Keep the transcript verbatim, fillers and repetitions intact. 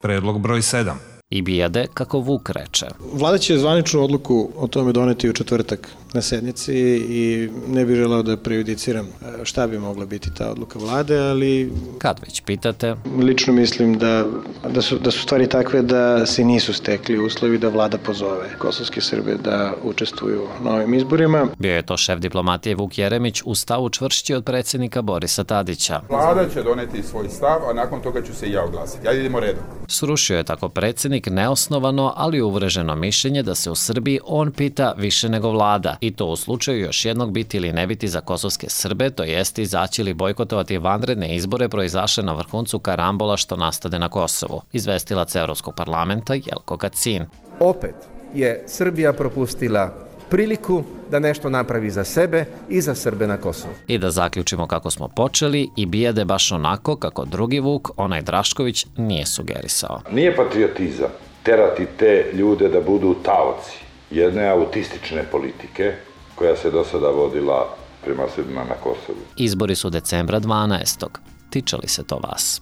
Predlog broj sedam. I bijede, kako Vuk reče. Vlada će zvaničnu odluku o tome doneti u četvrtak na sednici i ne bih želeo da prejudiciram šta bi mogla biti ta odluka vlade, ali... Kad već pitate... Lično mislim da, da, su, da su stvari takve da se nisu stekli uslovi da vlada pozove kosovske Srbe da učestvuju na ovim izborima. Bio je to šef diplomatije Vuk Jeremić u stavu čvršći od predsjednika Borisa Tadića. Vlada će doneti svoj stav, a nakon toga ću se i ja oglasiti. Ajde idemo redom. Srušio je tako predsjednik neosnovano, ali uvreženo mišljenje da se u Srbiji on pita više nego vlada. I to u slučaju još jednog biti ili ne biti za kosovske Srbe, to jest izaći ili bojkotovati vanredne izbore proizašle na vrhuncu karambola što nastade na Kosovu. Izvestilac Evropskog parlamenta Jelko Kacin. Opet je Srbija propustila priliku da nešto napravi za sebe i za Srbe na Kosovu. I da zaključimo kako smo počeli, i bijede baš onako kako drugi Vuk, onaj Drašković, nije sugerisao. Nije patriotizam terati te ljude da budu taoci jedne autistične politike koja se do sada vodila prema Srbima na Kosovu. Izbori su decembra dvanaestog. Tiče li se to vas?